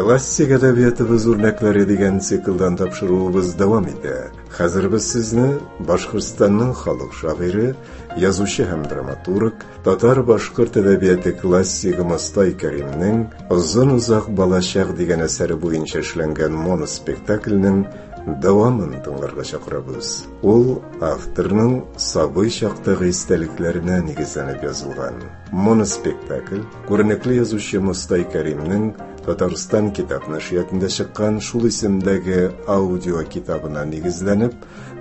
Классик әдәбиятыбыз үрнәкләре дигән циклдан тапшыруыбыз дәвам итә. Хәзер без сезне Башкортстанның халык шагыйре, язучы һәм драматург, татар-башкорт әдәбияты классигы Мостай Кәримнең Озын-озак балачак дигән әсәре буенча эшләнгән моноспектакльнең дәвамын тыңларга чакырабыз. Ул авторның сабый чактагы истәлекләренә нигезләнеп язылган. Моноспектакль күренекле язучы Мостай Кәримнең Татарстан китап нәшриятында чыккан шул исемдәге аудио китабына нигезләнеп,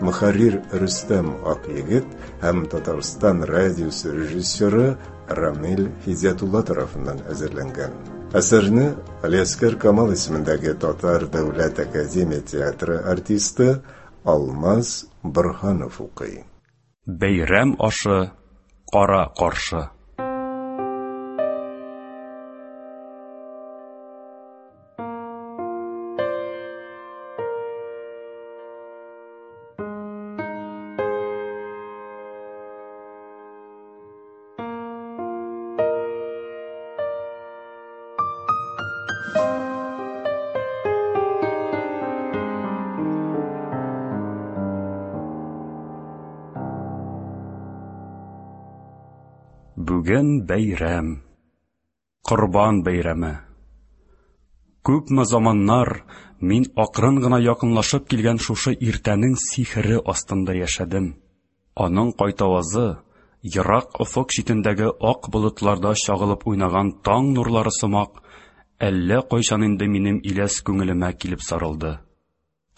мөхәррир Рөстәм Акъегет һәм Татарстан радиосы режиссеры Рамил Һидиятулла тарафыннан әзерләнгән. Әсәрне Алиаскер Камал исемендәге Татар дәүләт академия театры артисты Алмаз Борһанов укый. Бәйрәм ашы кара каршы. Бүген бәйрәм. Корбан бәйрәме. Күпме заманнар мин акрын гына якынлашып килгән шушы иртәнең сихере астында яшәдем. Аның кайтавазы, ерак офык читендәге ак болытларда чагылып уйнаган таң нурлары сымак, әллә кайчан инде минем иләс күңелемә килеп сарылды.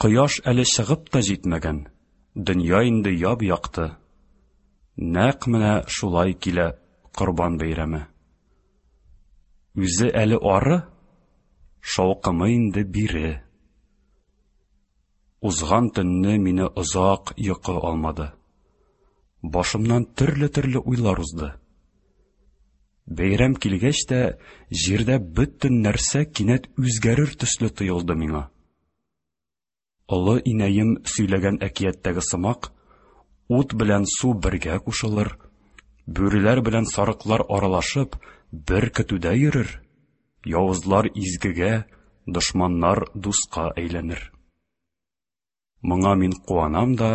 Кояш әле чыгып та җитмәгән, дөнья инде яп-якты. Нәкъ менә шулай килә Корбан бәйрәме. Үзе әле ары, шаукымы инде бире. Узган төнне мине озак йокы алмады. Башымнан төрле-төрле уйлар узды. Бәйрәм килгәч тә, җирдә бөтен нәрсә кинәт үзгәрер төсле тоелды миңа. Олы инәем сөйләгән әкияттәге сымак, ут белән су бергә кушылыр, бүреләр белән сарыклар аралашып, бер көтүдә йөрер, явызлар изгегә, дошманнар дуска әйләнер. Моңа мин куанам да,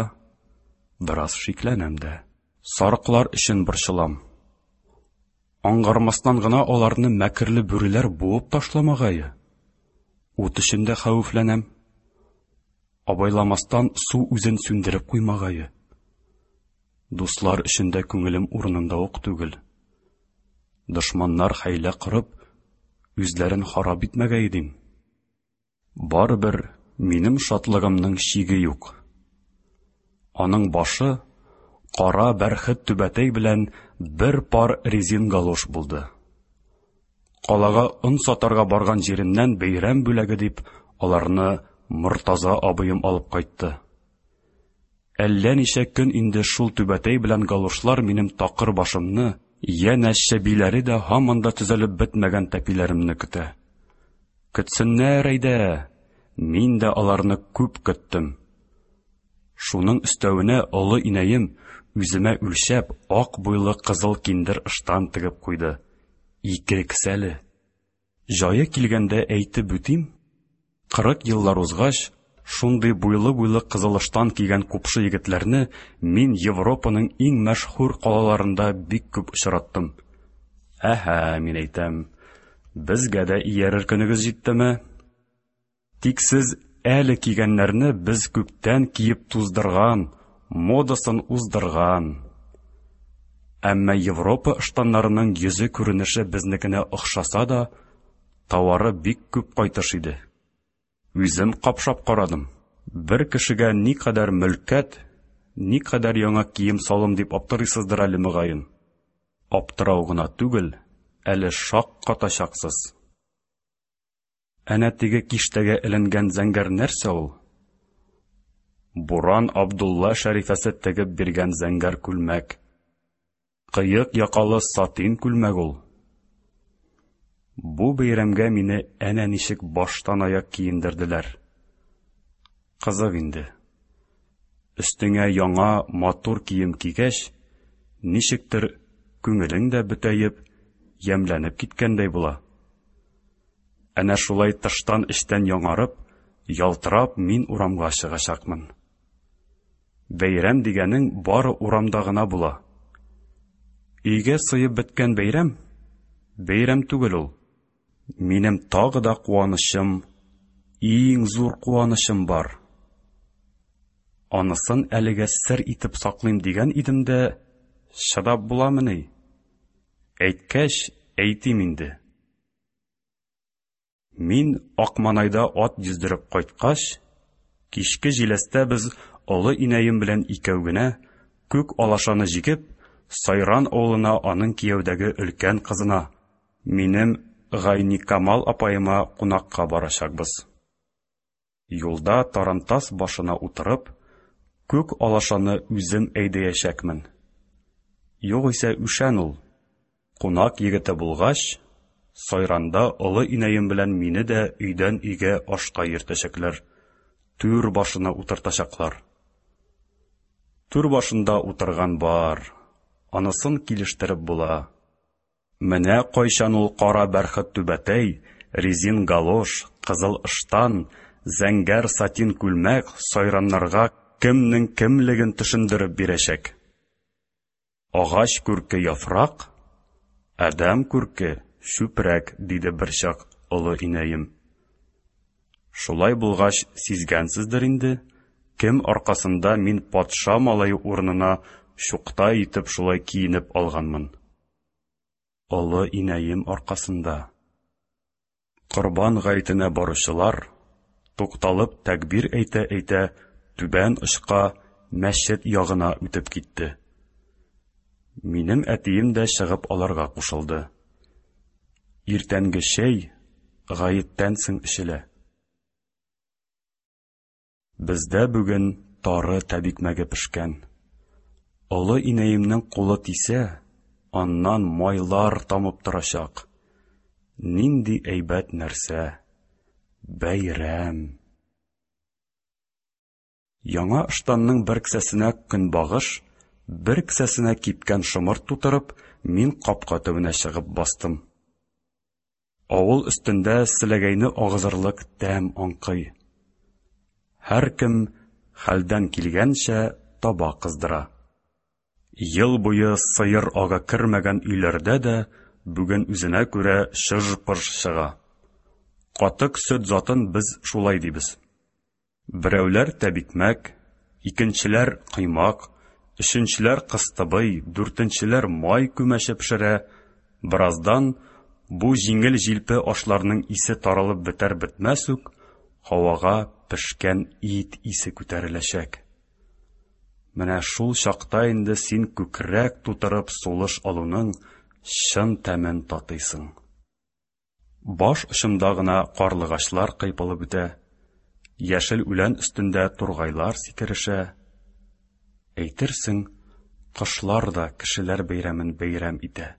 бераз шикләнәм дә. Сарыклар өчен борчылам. Аңгармастан гына аларны мәкерле бүреләр буып ташламагае. Ут өчен дә хәвефләнәм. Абайламастан су үзен сүндереп куймагае. Дуслар өчен дә күңелем урынында ук түгел. Дошманнар хәйлә корып, үзләрен харап итмәгәе дим. Барыбер минем шатлыгымның чиге юк. Аның башы кара бәрхет түбәтәй белән бер пар резин галош булды. Калага он сатарга барган җиремнән бәйрәм бүләге дип аларны Мортаза абыем алып кайтты. Әллә ничә көн инде шул түбәтәй белән галошлар минем такыр башымны, янә чәбиләре дә һаман да төзәлеп бетмәгән тәпиләремне көтә. Көтсеннәр әйдә, мин дә аларны күп көттем. Шуның өстәвенә олы инәем үземә үлчәп ак буйлы кызыл киндер ыштан тегеп куйды. Ике кесәле. Җае килгәндә әйтеп үтим, 40 еллар узгач, шундый буйлы-буйлы кызыл ыштан кигән купшы егетләрне мин Европаның иң мәшһүр калаларында бик күп очраттым. Әһә, мин әйтәм, безгә дә иярер көнегез җиттеме? Тик сез әле кигәннәрне без күптән киеп туздырган, модасын уздырган. Әмма Европа ыштаннарының йөзе күренеше безнекенә охшаса да, товары бик күп кайтыш иде. Үзем капшап карадым. Бер кешегә никадәр мөлкәт, никадәр яңа кием-салым дип аптырыйсыздыр әле мөгаен. Аптырау гына түгел, әле шаккатачаксыз. Әнә теге киштәгә эленгән зәңгәр нәрсә ул? Буран Абдулла Шәрифәсе тегеп биргән зәңгәр күлмәк. Кыек якалы сатин күлмәк ул. Бу бәйрәмгә мине әнә ничек баштан аяк киендерделәр. Кызык инде. Өстеңә яңа матур кием кигәч, ничектер күңелең дә бөтәеп, ямьләнеп киткәндәй була. Әнә шулай тыштан эчтән яңарып, ялтырап мин урамга чыгачакмын. Бәйрәм дигәнең бары урамда гына була. Өйгә сыеп беткән бәйрәм, бәйрәм түгел ул. Минем тагы да куанычым, иң зур куанычым бар. Анысын әлегә сер итеп саклыйм дигән идем дә, чыдап буламыни? Әйткәч, әйтим инде. Мин Акманайда ат йөздереп кайткач, кичке җиләстә без олы инәем белән икәү генә, күк алашаны җигеп, Сайран авылына аның кияүдәге өлкән кызына, минем Гайникамал апаема кунакка барачакбыз. Юлда тарантас башына утырып, күк алашаны үзем әйдәячәкмен. Югыйсә үшән ул. Кунак егете булгач, Сайранда олы инәем белән мине дә өйдән өйгә ашка йөртәчәкләр, түр башына утыртачаклар. Түр башында утырган бар, анысын килештереп була. Менә кайчан ул кара бәрхет түбәтәй, резин галош, кызыл ыштан, зәңгәр сатин күлмәк сайраннарга кемнең кемлеген төшендереп бирәчәк. Агач күрке яфрак, адәм күрке чүпрәк, диде берчак олы инәем. Шулай булгач, сизгәнсездер инде, кем аркасында мин патша малае урынына чукта итеп шулай киенеп алганмын. Олы инәем аркасында. Корбан гаетенә баручылар, тукталып тәкбир әйтә-әйтә, түбән очка, мәчет ягына үтеп китте. Минем әтием дә чыгып аларга кушылды. Иртәнге чәй гаеттән соң эчелә. Бездә бүген тары тәбикмәге пешкән. Олы инәемнең кулы тисә, аннан майлар тамып торачак. Нинди әйбәт нәрсә! Бәйрәм! Яңа ыштанның бер кесәсенә көнбагыш, бер кесәсенә кипкән шомырт тутырып, мин капка төбенә чыгып бастым. Авыл өстендә селәгәйне агызырлык тәм аңкый. Һәркем хәлдән килгәнчә таба кыздыра. Ел буе сыер ага кермәгән өйләрдә дә бүген үзенә күрә чыж-пыж чыга. Катык сөт затын без шулай дибез. Берәүләр тәбикмәк, икенчеләр коймак, өченчеләр кыстыбый, дүртенчеләр май күмәче пешерә. Бераздан бу җиңел-җилпе ашларның исе таралып бетәр-бетмәс үк, һавага пешкән ит исе күтәреләчәк. Менә шул чакта инде син күкрәк тутырып сулыш алуның чын тәмен татыйсың. Баш очымда гына карлыгачлар кыйпылып үтә, яшел үлән өстендә тургайлар сикерешә. Әйтерсең, кошлар да кешеләр бәйрәмен бәйрәм итә.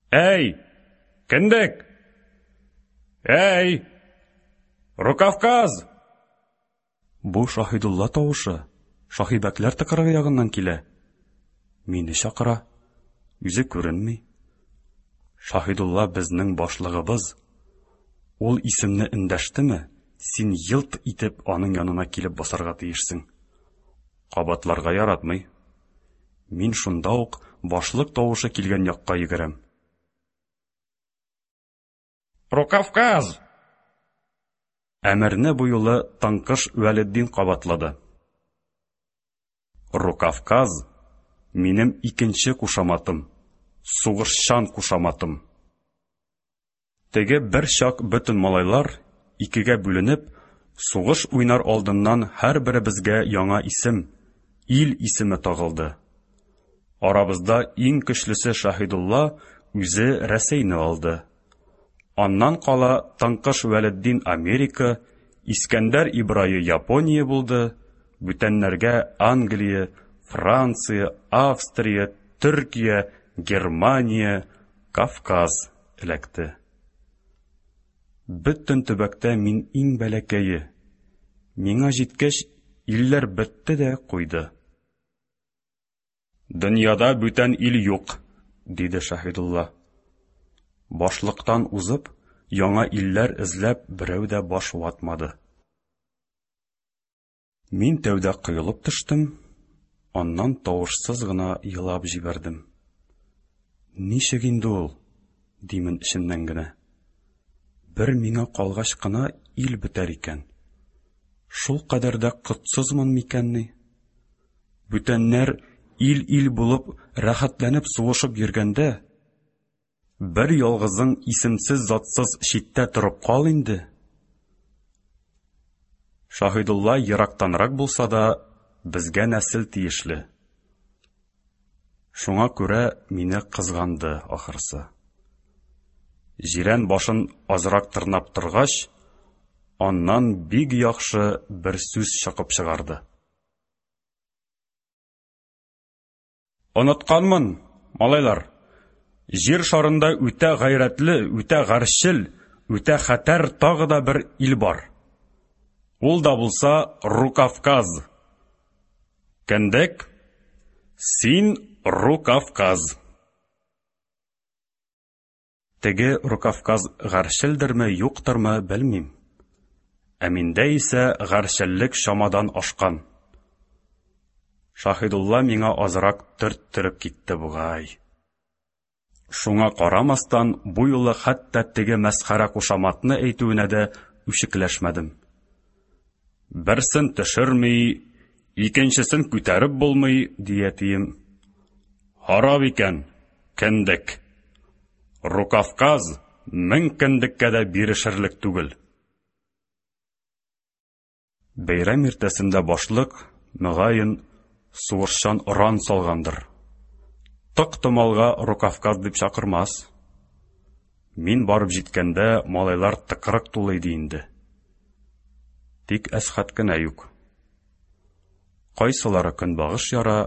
Әй, кендек! Әй, Рукавказ! Бу Шаһидулла тавышы Шаһибәкләр тыкрыгы ягыннан килә. Мине чакыра. Үзе күренми. Шаһидулла безнең башлыгыбыз. Ул исемне эндәштеме, син елт итеп аның янына килеп басарга тиешсең. Кабатларга яратмый. Мин шунда ук башлык тавышы килгән якка йөгерәм. Рукавказ! Әмерне бу юлы Тыңкыш Вәлетдин кабатлады. Рукавказ минем икенче кушаматым, сугышчан кушаматым. Теге бер чак бөтен малайлар, икегә бүленеп, сугыш уйнар алдыннан һәрберебезгә яңа исем, ил исеме тагылды. Арабызда иң көчлесе Шаһидулла үзе Рәсәйне алды. Аннан кала Тыңкыш Вәлетдин Америка, Искәндәр Ибрае Япония булды, бүтәннәргә Англия, Франция, Австрия, Төркия, Германия, Кавказ эләкте. Бөтен төбәктә мин иң бәләкәе. Миңа җиткәч, илләр бетте дә куйды. Дөньяда бүтән ил юк, диде Шаһидулла. Башлыктан узып, яңа илләр эзләп берәү дә баш ватмады. Мин тәүдә коелып төштем, аннан тавышсыз гына елап җибәрдем. Ничек инде ул? димен эчемнән генә. Бер миңа калгач кына ил бетәр икән. Шул кадәр дә котсызмын микәнни? Бүтәннәр ил-ил булып, рәхәтләнеп сугышып йөргәндә, бер ялгызың исемсез-затсыз читтә торып кал инде. Шаһидулла ерактанрак булса да, безгә нәсел тиешле. Шуңа күрә мине кызганды, ахрысы. Җирән башын азрак тырнап торгач, аннан бик яхшы бер сүз чокып чыгарды. Онытканмын, малайлар. Җир шарында үтә гайрәтле, үтә гарьчел, үтә хәтәр тагы да бер ил бар. Ул да булса Рукавказ. Кендек, син Рукавказ. Теге Рукавказ гарьчелдерме, юктырмы, белмим. Ә миндә исә гарьчеллек чамадан ашкан. Шаһидулла миңа азрак төрттереп китте бугай. Шуңа карамастан, бу юлы хәтта теге мәсхәрә кушаматны әйтүенә дә үчекләшмәдем. Берсен төшерми, икенчесен күтәреп булмый, ди әтием. Харап икән, кендек. Рукавказ мең кендеккә дә бирешерлек түгел. Бәйрәм иртәсендә башлык, мөгаен, сугышчан оран салгандыр. Тык-томалга Рукавказ дип чакырмас. Мин барып җиткәндә, малайлар тыкрык тулы иде инде. Тик Әсхәт кенә юк. Кайсылары көнбагыш яра,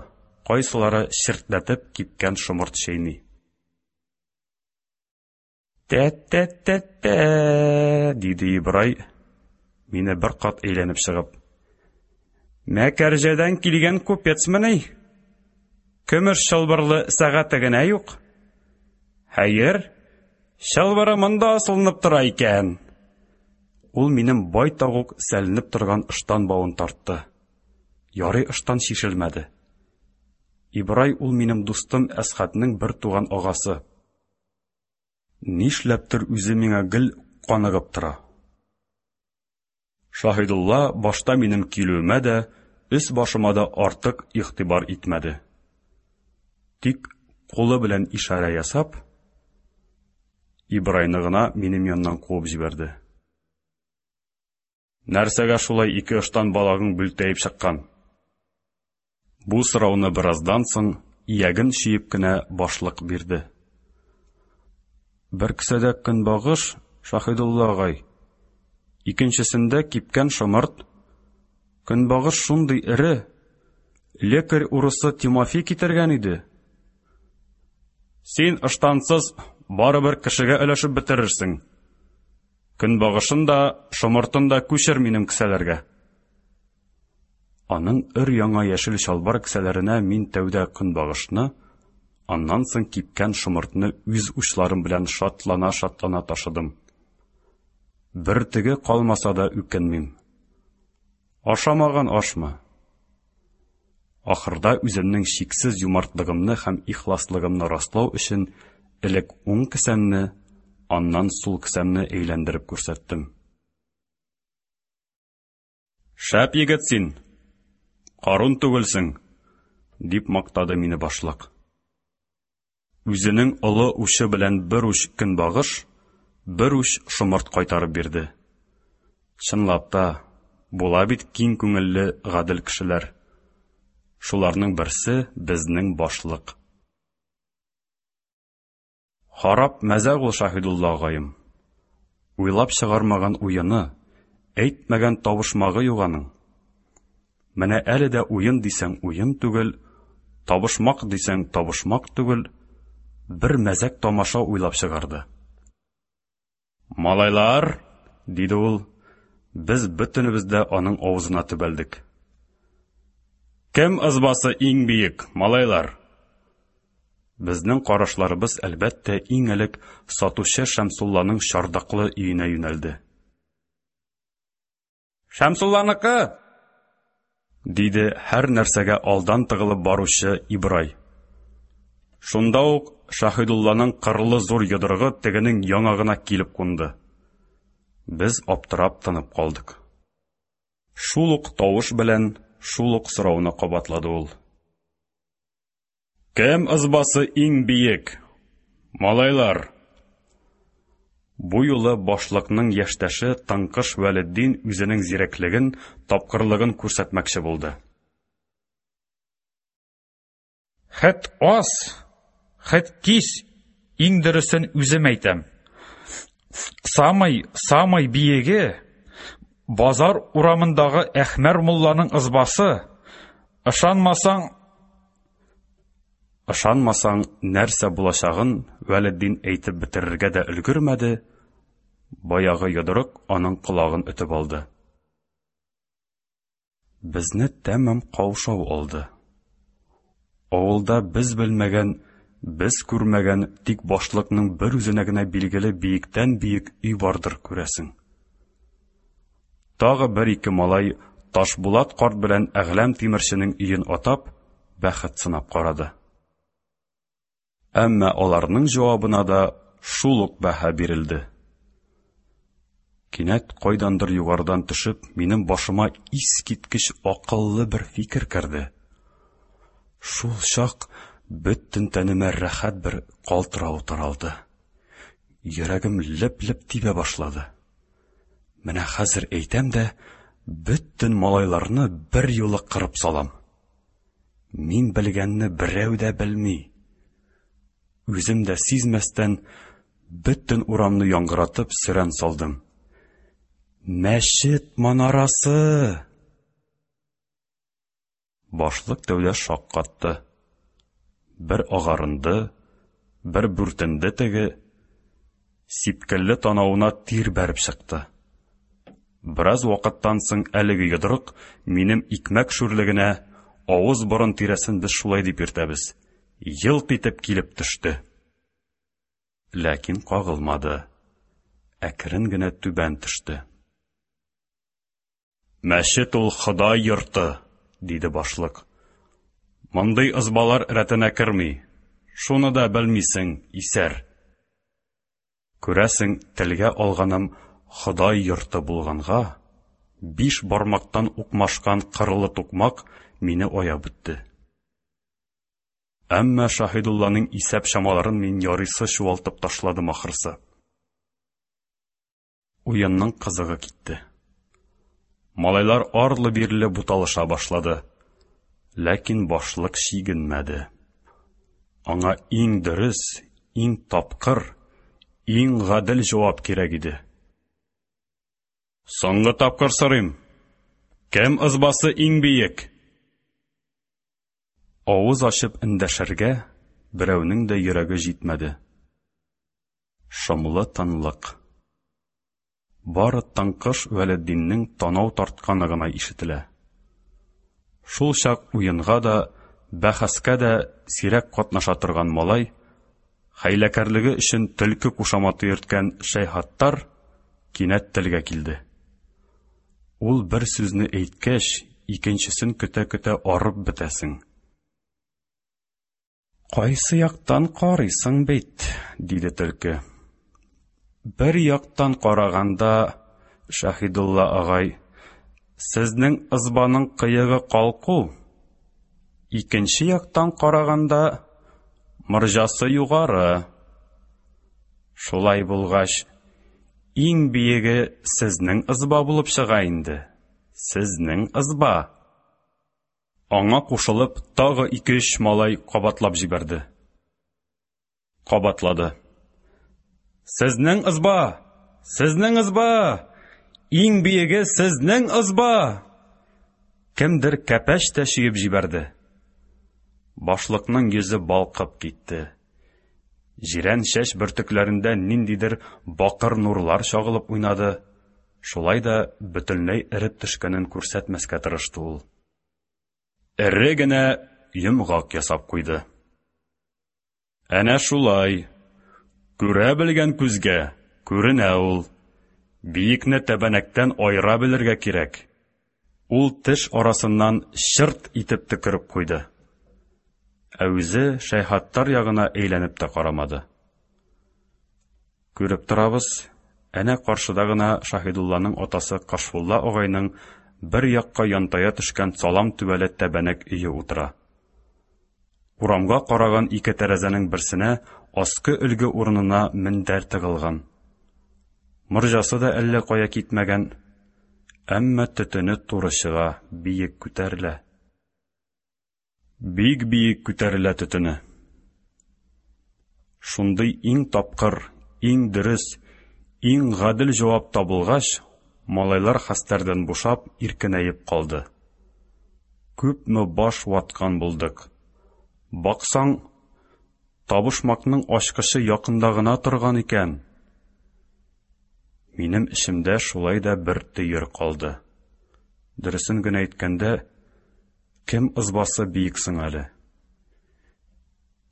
кайсылары чертләтеп кипкән шомырт чәйни. Тә-тә-тә-тә, диде Ибрай, мине бер кат әйләнеп чыгып. Мәкәрҗәдән килгән купецмыни? Көмеш чылбырлы сәгате генә юк. Хәер, чылбыры монда асылынып тора икән. Ул минем байтак ук сәленеп торган ыштан бавын тартты. Ярый ыштан чишелмәде. Ибрай ул минем дустым Әсхәтнең бер туган агасы. Нишләптер үзе миңа гел каныгып тора. Шаһидулла башта минем килүемә дә, өс-башыма да артык игътибар итмәде. Тик кулы белән ишарә ясап, Ибрайны гына минем яннан куып җибәрде. Нәрсәгә шулай ике ыштан балагың бүлтәеп чыккан? Бу сорауны бераздан соң ияген чөеп кенә башлык бирде. Бер кесәдә көнбагыш, Шаһидулла агай. Икенчесендә кипкән шомырт. Көнбагыш шундый эре. Лекарь урысы Тимофей китергән иде. Син ыштансыз барыбер кешегә өләшеп бетерерсең. Көнбагышын да, шомыртын да күчер минем кесәләргә. Аның өр-яңа яшел чалбар кесәләренә мин тәүдә көнбагышны, аннан соң кипкән шомыртны үз учларым белән шатлана-шатлана ташыдым. Бөртеге калмаса да үкенмим. Ашамаган ашмы? Ахырда үземнең чиксез юмартлыгымны һәм ихласлыгымны раслау өчен элек уң кесәмне, аннан сул кесәмне әйләндереп күрсәттем. Шәп егет син, Карун түгелсең, дип мактады мине башлык. Үзенең олы учы белән бер уч көнбагыш, бер уч шомырт кайтарып бирде. Чынлап та, була бит киң күңелле гадел кешеләр. Шуларның берсе безнең башлык. Харап мәзәк ул Шаһидулла агаем. Уйлап чыгармаган уены, әйтмәгән табышмагы юк аның. Менә әле дә уен дисәң уен түгел, табышмак дисәң табышмак түгел, бер мәзәк тамаша уйлап чыгарды. Малайлар, диде ул, без бөтенебез дә аның авызына төбәлдек. Кем ызбасы иң биек, малайлар? Безнең карашларыбыз, әлбәттә, иң элек сатучы Шәмсулланың чардаклы өенә юнәлде. Шәмсулланыкы! диде һәр нәрсәгә алдан тыгылып баручы Ибрай. Шунда ук Шаһидулланың кырлы зур йодрыгы тегенең яңагына килеп кунды. Без аптырап тынып калдык. Шул ук тавыш белән шул ук сорауны кабатлады ул. Кем ызбасы иң биек? Малайлар! Бу юлы башлыкның яшьтәше Тыңкыш Вәлетдин үзенең зирәклеген, тапкырлыгын күрсәтмәкче булды. Хет ас, хет кис, иң дөресен үзем әйтәм. Самый, самый биеге базар урамындагы Әхмәр мулланың ызбасы. Ышанмасаң, Ышанмасаң, нәрсә булачагын Вәлетдин әйтеп бетерергә дә өлгермәде, баягы йодрык аның колагын өтеп алды. Безне тәмам каушау алды. Авылда без белмәгән, без күрмәгән, тик башлыкның бер үзенә генә билгеле биектән-биек өй бардыр, күрәсең. Тагы бер-ике малай Ташбулат карт белән Әгъләм тимерченең өен атап, бәхет сынап карады. Әмма аларның җавабына да шул ук бәһа бирелде. Кинәт кайдандыр югарыдан төшеп, минем башыма искиткеч акыллы бер фикер керде. Шул чак бөтен тәнемә рәхәт бер калтырау таралды. Йөрәгем леп-леп тибә башлады. Менә хәзер әйтәм дә, бөтен малайларны бер юлы кырып салам. Мин белгәнне берәү дә белми. Үзем дә сизмәстән, бөтен урамны яңгыратып сөрән салдым. Мәчет манарасы! Башлык тәүдә шаккатты. Бер агарынды, бер бүртенде теге. Сипкелле танавына тир бәреп чыкты. Бераз вакыттан соң әлеге йодрык минем икмәк шүрлегенә, авыз-борын тирәсен без шулай дип йөртәбез, елт итеп килеп төште. Ләкин кагылмады. Әкрен генә түбән төште. Мәчет ул Ходай йорты, диде башлык. Мондый ызбалар рәтенә керми. Шуны да белмисең, исәр. Күрәсең, телгә алганым Ходай йорты булганга, биш бармактан укмашкан кырлы тукмак мине аяп үтте. Әмма Шаһидулланың исәп чамаларын мин ярыйсы чуалтып ташладым ахрысы. Уенның кызыгы китте. Малайлар арлы-бирле буталыша башлады. Ләкин башлык чигенмәде. Аңа иң дөрес, иң тапкыр, иң гадел җавап кирәк иде. Соңгы тапкыр сорыйм. Кем ызбасы иң биек? Авыз ачып эндәшергә берәүнең дә йөрәге җитмәде. Шомлы тынлык. Бары Тыңкыш Вәлетдиннең танау тартканы гына ишетелә. Шул чак уенга да, бәхәскә дә сирәк катнаша торган малай, хәйләкәрлеге өчен төлке кушаматы йөрткән Шәйхаттар кинәт телгә килде. Ул бер сүзне әйткәч, икенчесен көтә-көтә арып бетәсең. Кайсы яктан карыйсың бит, диде төлке. Бер яктан караганда, Шаһидулла агай, сезнең ызбаның кыегы калку. Икенче яктан караганда, морҗасы югары. Шулай булгач, иң биеге сезнең ызба булып чыга инде. Сезнең ызба. Аңа кушылып, тагы ике-өч малай кабатлап җибәрде. Кабатлады. Сезнең ызба! Сезнең ызба! Иң биеге сезнең ызба! Кемдер кәпәч тә чөеп җибәрде. Башлыкның йөзе балкып китте. Җирән чәч бөртекләрендә ниндидер бакыр нурлар чагылып уйнады. Шулай да бөтенләй эреп төшкәнен күрсәтмәскә тырышты ул. Эре генә йомгак ясап куйды. Әнә шулай. Күрә белгән күзгә күренә ул. Биекне тәбәнәктән аера белергә кирәк. Ул теш арасыннан чырт итеп төкереп куйды. Ә үзе Шәйхаттар ягына әйләнеп тә карамады. Күреп торабыз, әнә каршыда гына Шаһидулланың атасы Кашфулла агайның бер якка янтая төшкән салам түбәле тәбәнәк өе утыра. Урамга караган ике тәрәзәнең берсенә аскы өлге урынына мендәр тыгылган. Морҗасы да әллә кая китмәгән, әмма төтене туры чыга, биек күтәрелә. Бик биек күтәрелә төтене. Шундый иң тапкыр, иң дөрес, иң гадел җавап табылгач, малайлар хәстәрдән бушап, иркенәеп калды. Күпме баш ваткан булдык. Баксаң, табышмакның ачкычы якында гына торган икән. Минем эчемдә шулай да бер төер калды. Дөресен генә әйткәндә, кем ызбасы биек соң әле?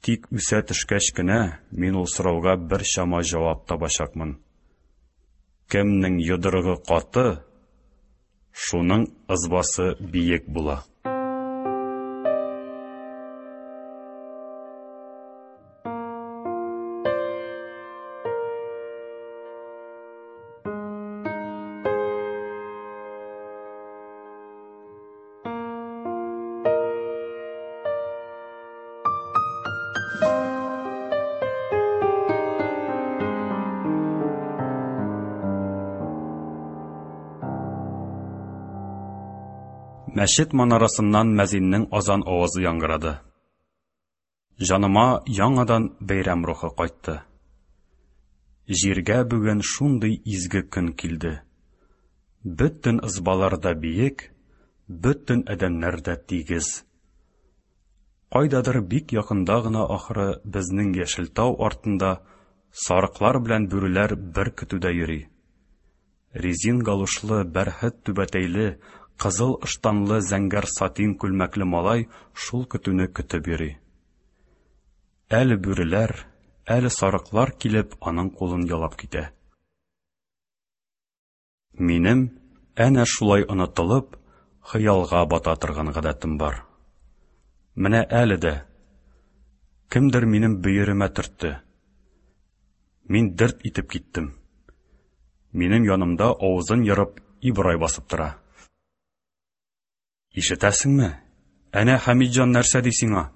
Тик үсә төшкәч кенә мин ул сорауга бер чама җавап табачакмын. Кемнең йодрыгы каты, шуның ызбасы биек була. Мәчет манарасыннан мәзиннең азан авазы яңгырады. Җаныма яңадан бәйрәм рухы кайтты. Җиргә бүген шундый изге көн килде. Бөтен ызбалар да биек, бөтен адәмнәр дә тигез. Кайдадыр бик якында гына ахры безнең яшел тау артында сарыклар белән бүреләр бер көтүдә йөри. Резин галушлы, бәрхет түбәтәйле, кызыл ыштанлы зәңгәр сатин күлмәкле малай шул көтүне көтеп йөри. Әле бүреләр, әле сарыклар килеп аның кулын ялап китә. Минем әнә шулай онытылып, хыялга бата торган гадәтем бар. Менә әле дә кемдер минем бөеремә төртте. Мин дерт итеп киттем. Минем янымда авызын ерып Ибрай басып тора. Ишетәсеңме? Әнә Хәмитҗан нәрсә ди сиңа?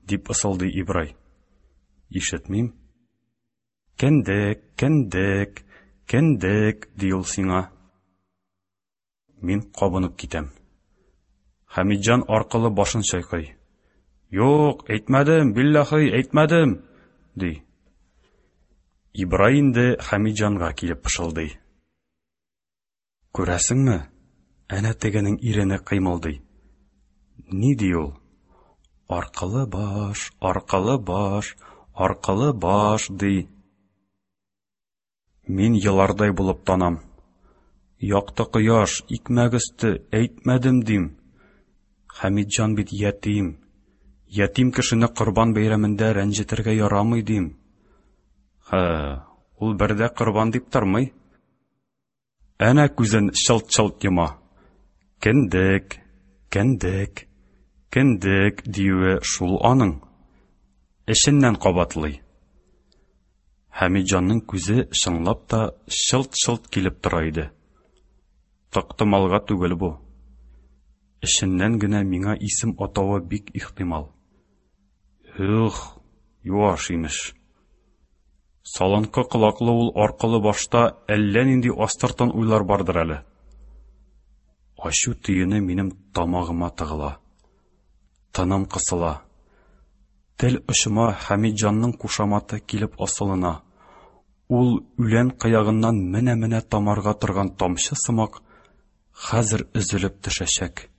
дип ысылдый Ибрай. Ишетмим. Кендек, кендек, кендек, ди ул сиңа. Мин кабынып китәм. Хәмитҗан аркылы башын чайкый. Юк, әйтмәдем, билләхи, әйтмәдем, ди. Ибрай инде Хәмитҗанга килеп пышылдый. Күрәсеңме? Әнә тегенең ирене кыймылдый. Ни ди ул? Аркылы баш, аркылы баш, аркылы баш, ди. Мин елардай булып танам. Якты кояш, икмәк өсте, әйтмәдем дим. Хәмитҗан бит ятим. Ятим кешене корбан бәйрәмендә рәнҗетергә ярамый дим. Һә, ул бер дә корбан дип тормый. Әнә күзен чылт-чылт йома. Кендек, кендек, кендек диюе шул аның. Эченнән кабатлый. Хәмитҗанның күзе чынлап та чылт-чылт килеп тора иде. Тактымалга түгел бу. Эченнән генә миңа исем атавы бик ихтимал. Ух, юаш имеш. Салынкы колаклы ул аркылы башта әллә нинди астыртын уйлар бардыр әле. Ачу төене минем тамагыма тыгыла. Тыным кысыла. Тел очыма Хәмитҗанның кушаматы килеп асылына. Ул үлән кыягыннан менә-менә тамарга торган тамчы сымак хәзер өзелеп төшәчәк.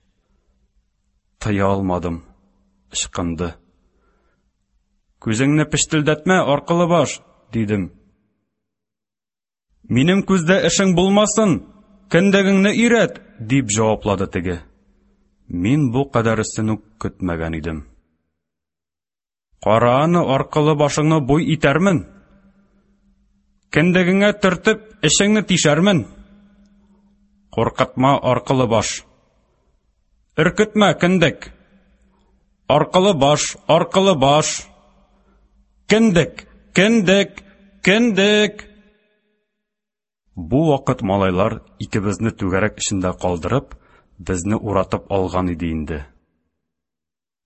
Тыя алмадым, ычкынды. Күзеңне пештелдәтмә, аркылы баш, дидем. Минем күздә эшең булмасын, кендегеңне өйрәт, дип җаваплады теге. Мин бу кадәресен үк көтмәгән идем. Кара аны, аркылы башыңны буй итәрмен. Кендегеңә төртеп, эчеңне тишәрмен. Куркытма, аркылы баш. Өркетмә, кендек. Аркылы баш, аркылы баш. Кендек, кендек, кендек. Бу вакыт малайлар икебезне түгәрәк эчендә калдырып, безне уратып алган иде инде.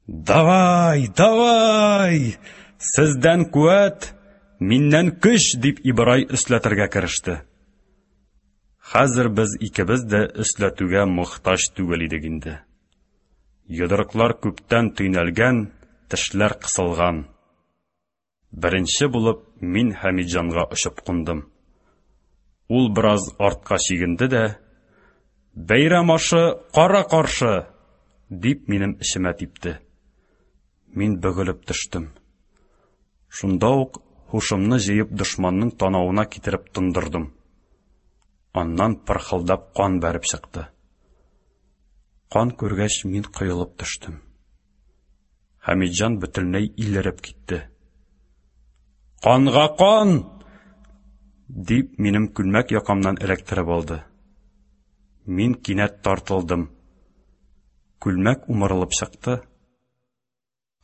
Давай, давай! Сездән куәт, миннән көч, дип Ибрай өсләтергә кереште. Хәзер без икебез дә өсләтүгә мохтаҗ түгел идек инде. Йодрыклар күптән төйнәлгән, тешләр кысылган. Беренче булып мин Хәмитҗанга очып кундым. Ул бераз артка чигенде дә, Бәйрәм ашы кара каршы! дип минем эчемә типте. Мин бөгелеп төштем. Шунда ук һушымны җыеп дошманның танавына китереп тондырдым. Аннан пырхылдап кан бәреп чыкты. Кан күргәч, мин коелып төштем. Хәмитҗан бөтенләй илереп китте. Канга кан! дип минем күлмәк якамнан эләктереп алды. Мин кинәт тартылдым. Күлмәк умырылып чыкты.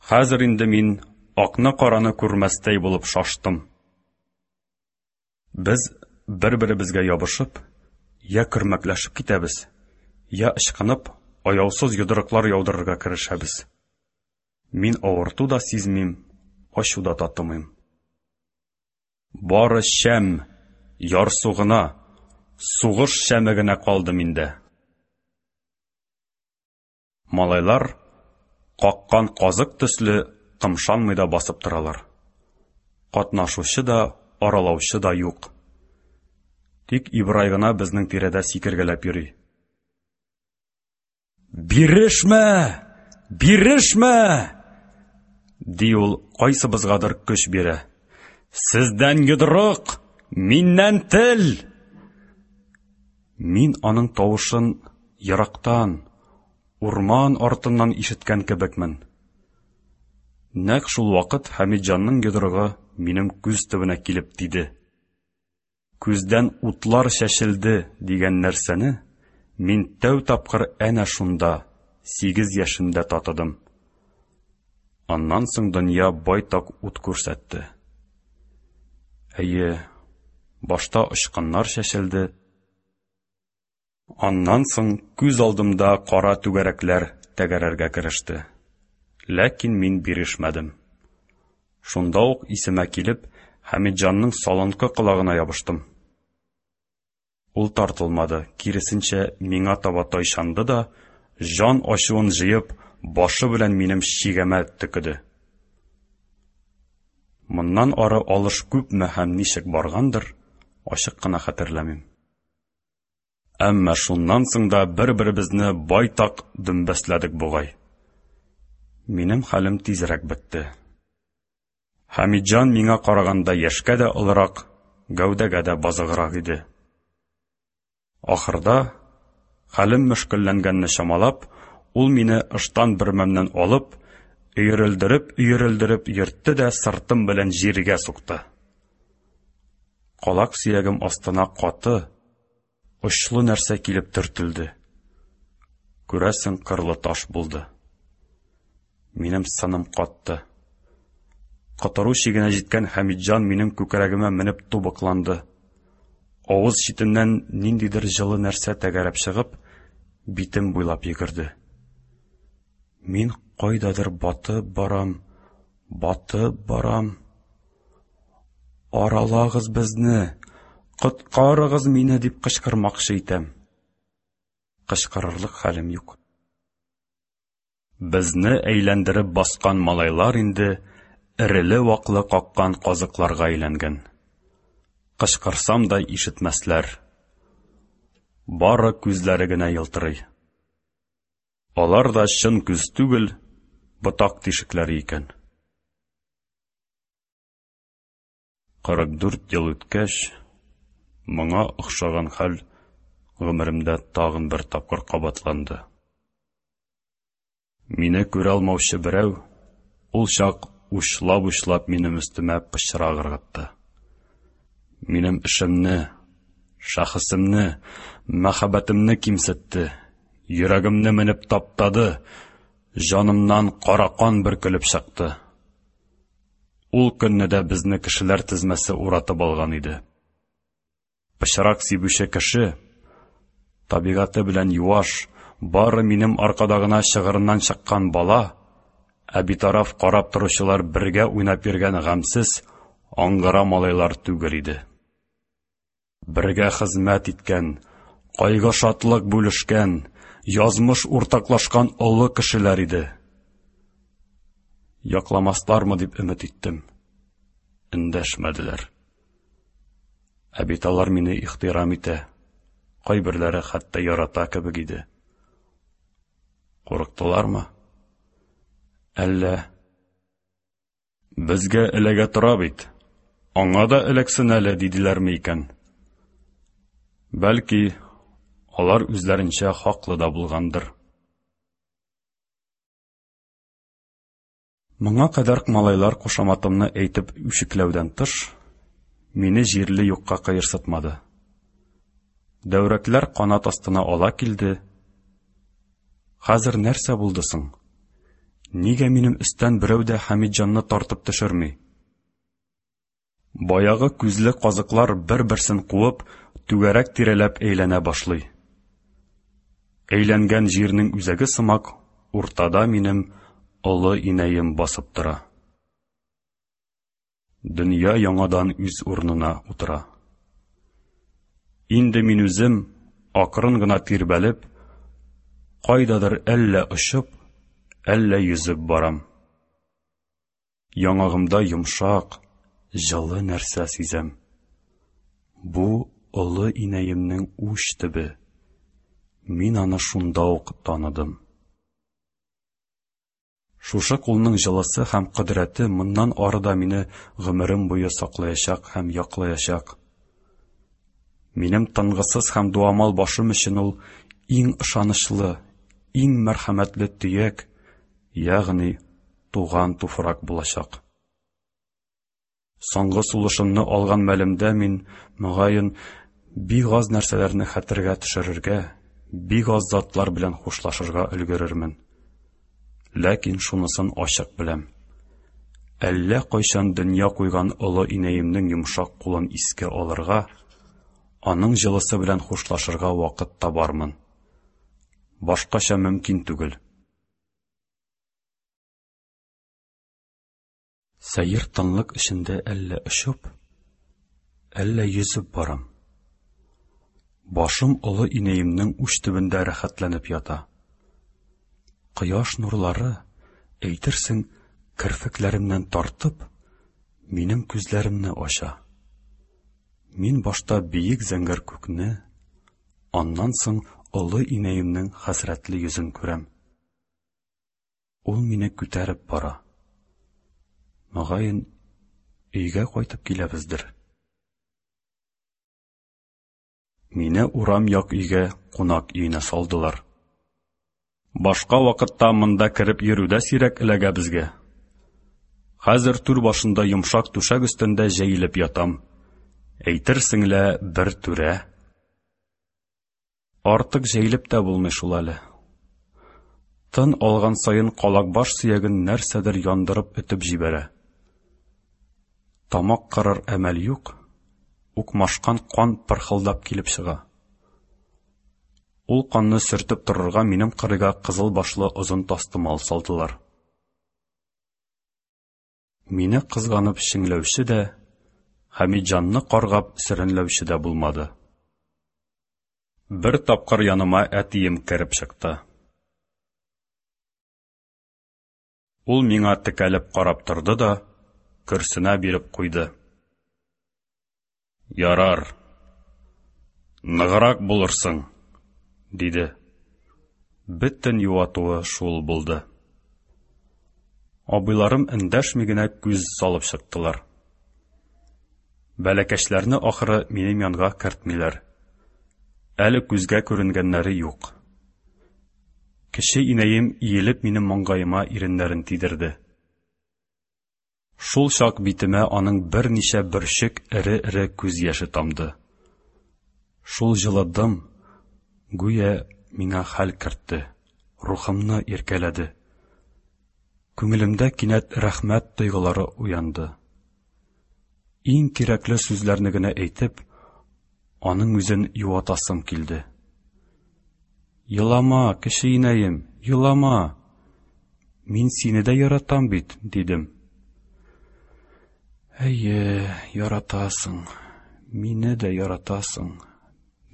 Хәзер инде мин акны-караны күрмәстәй булып шаштым. Без бер-беребезгә ябышып, я көрмәкләшеп китәбез, я ычкынып, аяусыз йодрыклар яудырырга керешәбез. Мин авырту да сизмим, ачу да татымыйм. Бары шәм, ярсу гына, сугыш шәме генә калды миндә. Малайлар, каккан казык төсле, кымшанмый да басып торалар. Катнашучы да, аралаучы да юк. Тик Ибрай гына безнең тирәдә сикергәләп йөри. Бирешмә! Бирешмә! ди ул, кайсыбызгадыр көч бирә. Сездән йодрык, миннән тел! Мин аның тавышын ерактан, урман артыннан ишеткән кебекмен. Нәкъ шул вакыт Хәмитҗанның йодрыгы минем күз төбенә килеп тиде. Күздән утлар чәчелде дигән нәрсәне мин тәү тапкыр әнә шунда, 8 яшемдә татыдым. Аннан соң дөнья байтак ут күрсәтте. Әйе, башта очкыннар чәчелде, аннан соң күз алдымда кара түгәрәкләр тәгәрәргә кереште. Ләкин мин бирешмәдем. Шунда ук исемә килеп, Хәмитҗанның салынкы колагына ябыштым. Ул тартылмады, киресенчә, миңа таба тайшанды да, җан ачуын җыеп, башы белән минем чигәмә төкеде. Моннан ары алыш күпме һәм ничек баргандыр, ачык кына хәтерләмим. Әмма шуннан соң да бер-беребезне байтак дөмбәсләдек бугай. Минем хәлем тизрәк бетте. Хәмитҗан миңа караганда яшькә дә олырак, гәүдәгә дә базыграк иде. Ахырда, хәлем мөшкелләнгәнне чамалап, ул мине ыштан бөрмәмнән алып, өерелдереп-өерелдереп йөртте дә сыртым белән җиргә сукты. Калак сөягем астына каты, очлы нәрсә килеп төртелде. Күрәсең, кырлы таш булды. Минем сыным катты. Котыру чигенә җиткән Хәмитҗан минем күкрәгемә менеп тубыкланды. Авыз читеннән ниндидер җылы нәрсә тәгәрәп чыгып, битем буйлап йөгерде. Мин кайдадыр батып барам, батып барам. Аралагыз безне, коткарыгыз мине дип кычкырмакчы итәм. Кычкырырлык хәлем юк. Безне әйләндереп баскан малайлар инде эреле-ваклы каккан казыкларга әйләнгән. Кычкырсам да ишетмәсләр. Бары күзләре генә елтырый. Алар да чын күз түгел, ботак тишекләре икән. 44 ел үткәч, моңа охшаган хәл гомеремдә тагын бер тапкыр кабатланды. Мине күрә алмаучы берәү, ул чак учлап-учлап минем өстемә пычрак ыргытты. Минем эшемне, шәхесемне, мәхәббәтемне кимсетте, йөрәгемне менеп таптады, җанымнан кара кан бөркелеп чыкты. Ул көнне дә безне кешеләр тезмәсе уратып алган иде. Пычрак сибүче кеше, табигате белән юаш, бары минем аркада гына чыгырыннан чыккан бала, ә битараф карап торучылар бергә уйнап йөргән гамьсез, аңгыра малайлар түгел иде. Бергә хезмәт иткән, кайгы-шатлык бүлешкән, язмыш уртаклашкан олы кешеләр иде. Якламаслармы дип өмет иттем. Эндәшмәделәр. Ә бит алар мине ихтирам итә, кайберләре хәтта ярата кебек иде. Курыктылармы? Әллә Безгә эләгә тора бит. Аңа да эләксен әле, диделәрме икән? Бәлки, алар үзләренчә хаклы да булгандыр. Моңа кадәр малайлар кушаматымны әйтеп үчекләүдән тыш, мине җирле юкка кыерсытмады. Дәүрәкләр канат астына ала килде. Хәзер нәрсә булды соң? Нигә минем өстән берәү дә Хәмитҗанны тартып төшерми? Баягы күзле казыклар бер-берсен куып, түгәрәк тирәләп әйләнә башлый. Әйләнгән җирнең үзәге сымак уртада минем олы инәем басып тора. Дөнья яңадан үз урынына утыра. Инде мин үзем, акрын гына тирбәлеп, кайдадыр әллә очып, әллә йөзеп барам. Яңагымда йомшак, җылы нәрсә сизәм. Бу олы инәемнең уч төбе. Мин аны шунда ук таныдым. Шушы кулның җылысы һәм кодрәте моннан ары да мине гомерем буе саклаячак һәм яклаячак. Минем тынгысыз һәм дуамал башым өчен ул иң ышанычлы, иң мәрхәмәтле төяк, ягъни туган туфрак булачак. Соңгы сулышымны алган мәлемдә мин, мөгаен, бик аз нәрсәләрне хәтергә төшерергә, бик аз затлар белән хушлашырга өлгерермен. Ләкин шунысын ачык беләм. Әллә кайчан дөнья куйган олы инәемнең йомшак кулын искә алырга, аның җылысы белән хушлашырга вакыт табармын. Башкача мөмкин түгел. Сәер тынлык эчендә әллә очып, әллә йөзеп барам. Башым олы инәемнең уч төбендә рәхәтләнеп ята. Кояш нурлары, әйтерсең, керфекләремнән тартып, минем күзләремне ача. Мин башта биек зәңгәр күкне, аннан соң олы инәемнең хәсрәтле йөзен күрәм. Ул мине күтәреп бара. Мөгаен, өйгә кайтып киләбездер. Мине урам як өйгә, кунак өенә салдылар. Башка вакытта монда кереп йөрү дә сирәк эләгә безгә. Хәзер түр башында йомшак түшәк өстендә җәелеп ятам. Әйтерсең лә бер түрә. Артык җәелеп тә булмый шул әле. Тын алган саен калакбаш сөяген нәрсәдер яндырып өтеп җибәрә. Тамак кырыр әмәл юк, укмашкан кан пырхылдап килеп чыга. Ул канны сөртеп торырга минем кырыйга кызыл башлы озын тастымал салдылар. Мине кызганып чеңләүче дә, Хәмитҗанны каргап сөрәнләүче дә булмады. Бер тапкыр яныма әтием кереп чыкты. Ул миңа текәлеп карап торды да, көрсенә биреп куйды. Ярар. Ныграк булырсың, диде. Бөтен юатуы шул булды. Абыйларым эндәшми генә күз салып чыктылар. Бәләкәчләрне ахыры минем янга кертмиләр. Әле күзгә күренгәннәре юк. Кече инәем иелеп минем маңгаема иреннәрен тидерде. Шул чак битемә аның берничә бөрчек эре-эре күз яше тамды. Шул җылы дым, гүя, миңа хәл кертте, рухымны иркәләде. Күңелемдә кинәт рәхмәт тойгылары уянды. Иң кирәкле сүзләрне генә әйтеп, аның үзен юатасым килде. Елама, кече инәем, елама. Мин сине дә яратам бит, дидем. Әйе, яратасың, мине дә яратасың,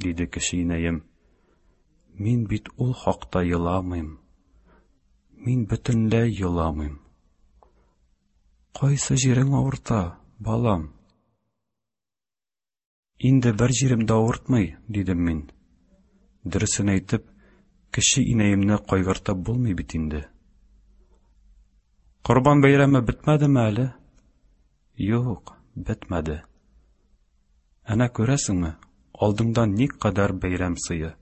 диде кече инәем. Мин бит ул хакта еламыйм. Мин бөтенләй еламыйм. Кайсы җирең авырта, балам? Инде бер җирем дә авыртмый, дидем мин. Дөресен әйтеп, кече инәемне кайгыртып булмый бит инде. Корбан бәйрәме бетмәдеме әле? Юк, бетмәде. Әнә күрәсеңме, алдыңда никадәр бәйрәм сые.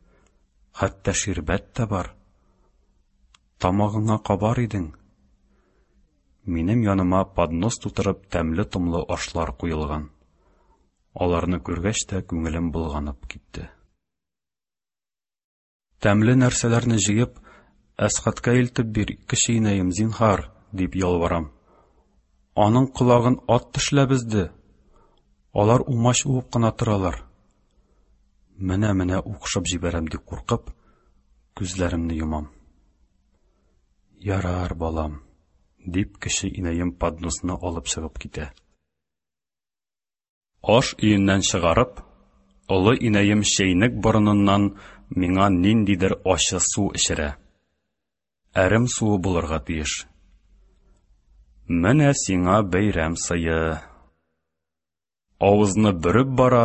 Хәтта ширбәт тә бар. Тамагыңа кабар идең. Минем яныма поднос тутырып тәмле-томлы ашлар куелган. Аларны күргәч тә күңелем болганып китте. Тәмле нәрсәләрне җыеп, Әсхатка илтеп бир, кече инәем, зинһар, дип ялварам. Аның колагын ат тешләп өзде. Алар умач уып кына торалар. Менә-менә укшып җибәрәм дип куркып, күзләремне йомам. Ярар, балам, дип кече инәем подносны алып чыгып китә. Аш өеннән чыгарып, олы инәем чәйнек борыныннан миңа ниндидер ачы су эчерә. Әрем суы булырга тиеш. Менә сиңа бәйрәм сые. Авызны бөреп бара,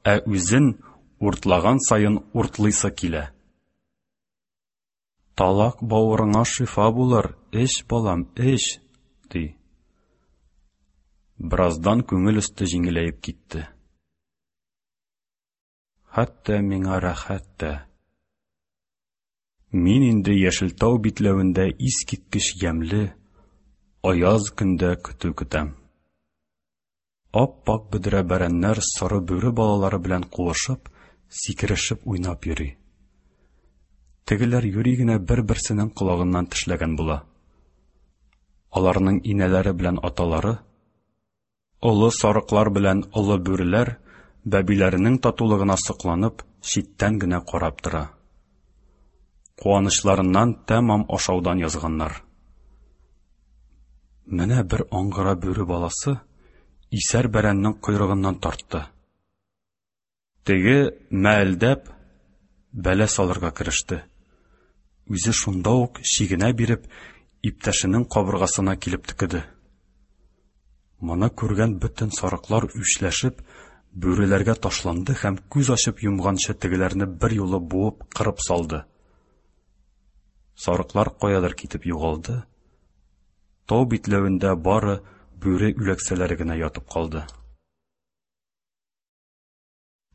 ә үзен уртлаган саен уртлыйсы килә. Талак бавырыңа шифа булыр, эч, балам, эч, ди. Бераздан күңел өсте җиңеләеп китте. Хәтта миңа рәхәт тә. Мин инде Яшелтау битләвендә искиткеч ямьле, аяз көндә көтү көтәм. Ап-ак бөдрә бәрәннәр соры бүре балалары белән куышып, сикерешеп уйнап йөри. Тегеләр юри генә бер-берсенең колагыннан тешләгән була. Аларның инәләре белән аталары, олы сарыклар белән олы бүреләр бәбиләренең татулыгына сокланып, читтән генә карап тора. Куанычларыннан тәмам ашаудан язганнар. Менә бер аңгыра бүре баласы исәр бәрәннең койрыгыннан тартты. Теге, мәэлдәп, бәла салырга кереште. Үзе шунда ук чигенә биреп, иптәшенең кабыргасына килеп төкеде. Моны күргән бөтен сарыклар үчләшеп, бүреләргә ташланды һәм күз ачып йомганчы тегеләрне берьюлы буып, кырып салды. Сарыклар каядыр китеп югалды. Тау битләвендә бары бүре үләксәләре генә ятып калды.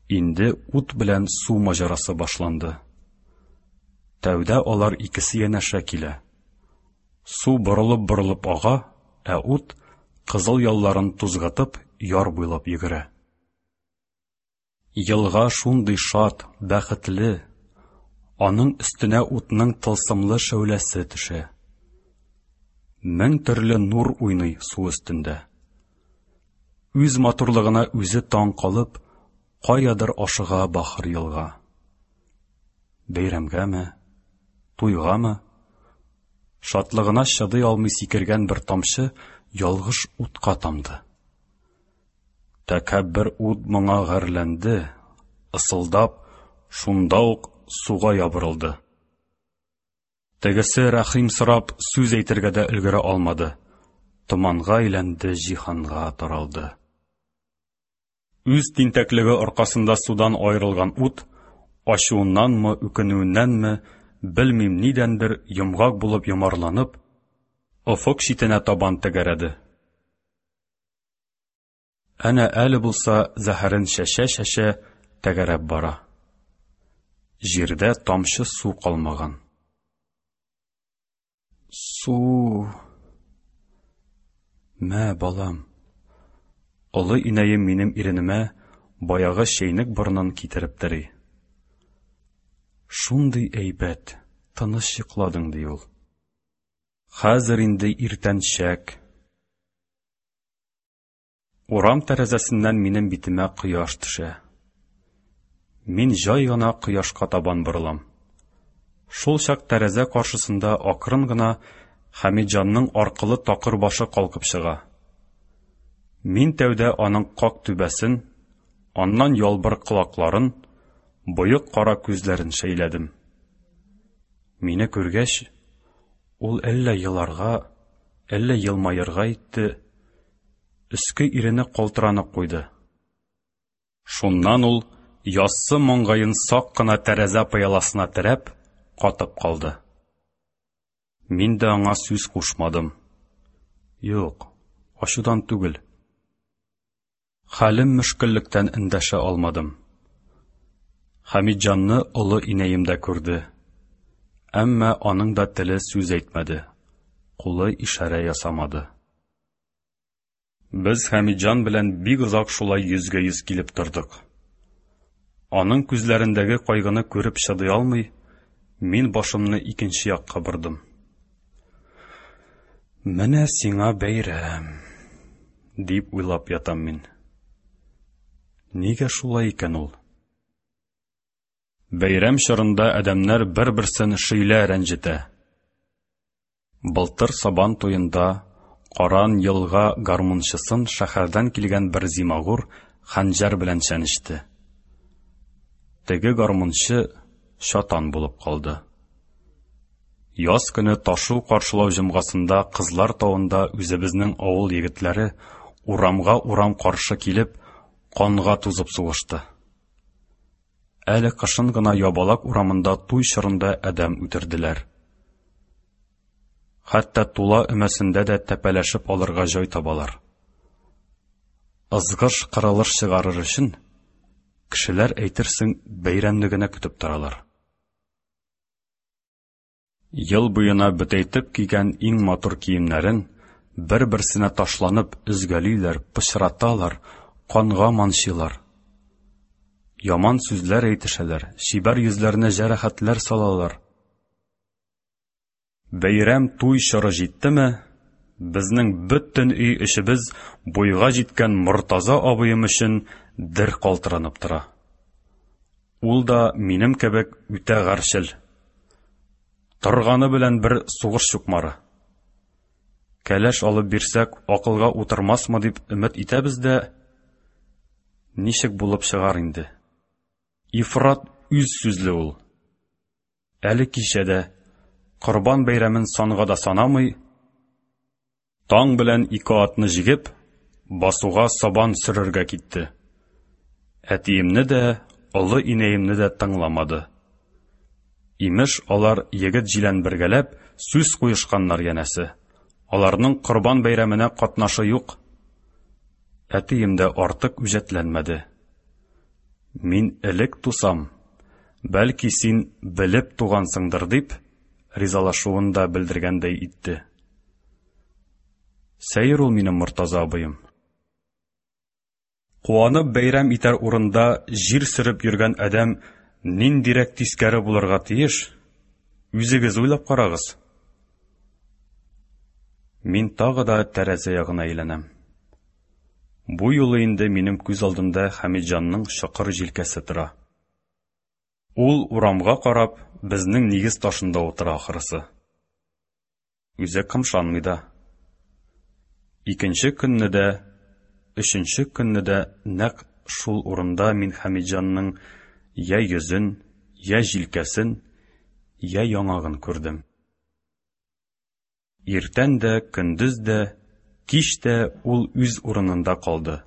Инде ут белән су маҗарасы башланды. Тәүдә алар икесе янәшә килә. Су борылып-борылып ага, ә ут, кызыл ялларын тузгытып, яр буйлап йөгерә. Елга шундый шат, бәхетле. Аның өстенә утның тылсымлы шәүләсе төшә. Мең төрле нур уйный су өстендә. Үз матурлыгына үзе таң калып, каядыр ашыга бахыр елга. Бәйрәмгәме, туйгамы? Шатлыгына чыдый алмый сикергән бер тамчы ялгыш утка тамды. Тәкәббер ут моңа гарьләнде, ысылдап, шунда ук суга ябырылды. Тегесе рәхим сорап сүз әйтергә дә өлгерә алмады. Томанга әйләнде, җиһанга таралды. Үз тинтәклеге аркасында судан аерылган ут, ачуыннанмы, үкенүеннәнме, белмим нидәндер, йомгак булып йомарланып, офык читенә табан тәгәрәде. Әнә әле булса зәһәрен чәчә-чәчә тәгәрәп бара. Җирдә тамчы су калмаган. Су! Мә, балам. Олы инәем минем иренемә баягы чәйнек борынын китереп тери. Шундый әйбәт, тыныч йокладың, ди ул. Хәзер инде иртәнчәк. Урам тәрәзәсеннән минем битемә кояш төшә. Мин җай гына кояшка табан борылам. Шул чак тәрәзә каршысында акрын гына Хәмитҗанның аркылы такыр башы калкып чыга. Мин тәүдә аның как түбәсен, аннан ялбыр колакларын, боек кара күзләрен шәйләдем. Мине күргәч, ул әллә еларга, әллә елмаерга итте, өске ирене калтыранып куйды. Шуннан ул, яссы маңгаен сак кына тәрәзә пыяласына терәп, катып калды. Мин дә аңа сүз кушмадым. Юк, ачудан түгел. Хәлем мөшкеллектән эндәшә алмадым. Хәмитҗанны олы инәем дә күрде. Әмма аның да теле сүз әйтмәде, кулы ишарә ясамады. Без Хәмитҗан белән бик озак шулай йөзгә-йөз килеп тордык. Аның күзләрендәге кайгыны күреп чыдый алмый, мин башымны икенче якка бордым. Менә сиңа бәйрәм, дип уйлап ятам мин. Нигә шулай икән ул? Бәйрәм чорында адәмнәр бер-берсен шөйлә рәнҗетә. Былтыр Сабан туенда Каран елга гармунчысын шәһәрдән килгән бер зимагур хәнҗәр белән чәнечте. Теге гармунчы чатан булып калды. Яз көне ташу каршылау җомгасында Кызлар тавында үзебезнең авыл егетләре урамга урам каршы килеп, канга тузып сугышты. Әле кышын гына Ябалак урамында туй чорында адәм үтерделәр. Хәтта Тула өмәсендә дә тәпәләшеп алырга җай табалар. Ызгыш-кырылыш чыгарыр өчен, кешеләр, әйтерсең, бәйрәмне генә көтеп торалар. Ел буена бөтәйтеп кигән иң матур киемнәрен бер-берсенә ташланып өзгәлиләр, пычраталар, канга манчыйлар. Яман сүзләр әйтешәләр, чибәр йөзләренә җәрәхәтләр салалар. Бәйрәм туй чоры җиттеме, безнең бөтен өй эчебез буйга җиткән Мортаза абыем өчен дер калтыранып тора. Ул да минем кебек үтә гарьчел. Торганы белән бер сугыш чукмары. Кәләш алып бирсәк, акылга утырмасмы дип өмет итәбез дә, ничек булып чыгар инде. Ифрат үз сүзле ул. Әле кичә дә, Корбан бәйрәмен санга да санамый, таң белән ике атны җигеп, басуга сабан сөрергә китте. Әтиемне дә, олы инәемне дә тыңламады. Имеш, алар егет-җилән бергәләп сүз куешканнар янәсе. Аларның Корбан бәйрәменә катнашы юк. Әтием дә артык үҗәтләнмәде. Мин элек тусам, бәлки син белеп тугансыңдыр дип, ризалашуын да белдергәндәй итте. Сәер ул минем Мортаза абыем. Куанып бәйрәм итәр урында җир сөреп йөргән адәм ниндирәк тискәре булырга тиеш, үзегез уйлап карагыз. Мин тагы да тәрәзә ягына әйләнәм. Бу юлы инде минем күз алдында Хәмитҗанның чокыр җилкәсе тора. Ул урамга карап, безнең нигез ташында утыра ахрысы. Үзе кымшанмый да. Икенче көнне дә, өченче көнне дә нәкъ шул урында мин Хәмитҗанның йә йөзен, йә җилкәсен, йә яңагын күрдем. Иртән дә, көндез дә, кич тә ул үз урынында калды.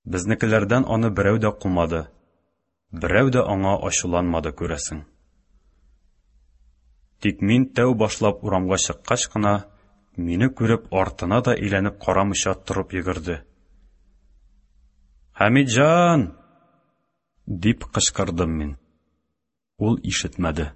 Безнекеләрдән аны берәү дә кумады, берәү дә аңа ачуланмады, күрәсең. Тик мин тәү башлап урамга чыккач кына, мине күреп, артына да әйләнеп карамыйча торып йөгерде. Хәмитҗан! Дип кычкырдым мин. Ул ишетмәде.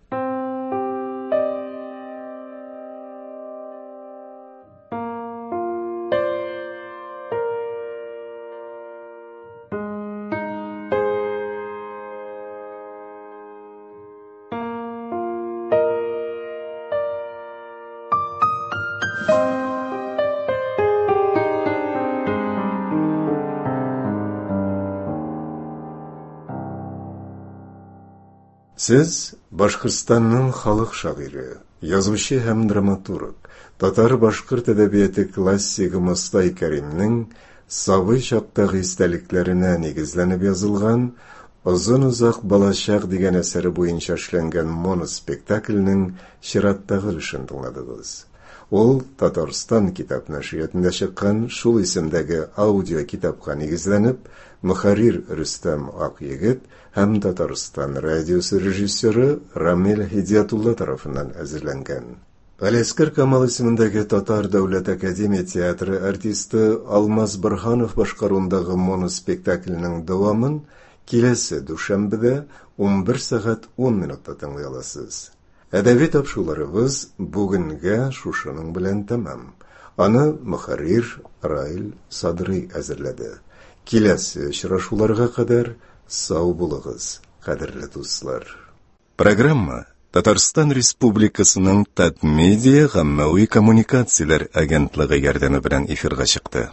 Сез Башкортстанның халык шагыйре, язучы һәм драматург, татар-башкорт әдәбияты классигы Мостай Кәримнең сабый чактагы истәлекләренә нигезләнеп язылган Озын-озак балачак дигән әсәре буенча эшләнгән моноспектакльнең чираттагы өлешен тыңладыгыз. Ул Татарстан китап нәшриятында чыккан шул исемдәге аудиокитапка нигезләнеп, мөхәррир Рөстәм Акъегет һәм Татарстан радиосы режиссеры Рамил Һидиятулла тарафыннан әзерләнгән. Галиәсгар Камал исемендәге Татар дәүләт академия театры артисты Алмаз Борһанов башкаруындагы моноспектакльнең дәвамын киләсе дүшәмбедә 11 сәгать 10 минутта тыңлый аласыз. Әдәби тапшыруларыбыз бүгенгә шушының белән тәмам. Аны мөхәррир Раил Садрый әзерләде. Киләсе очрашуларга кадәр сау булыгыз, кадерле дуслар. Программа Татарстан Республикасының Татмедиа гаммәви коммуникацияләр агентлыгы ярдәме белән эфирга чыкты.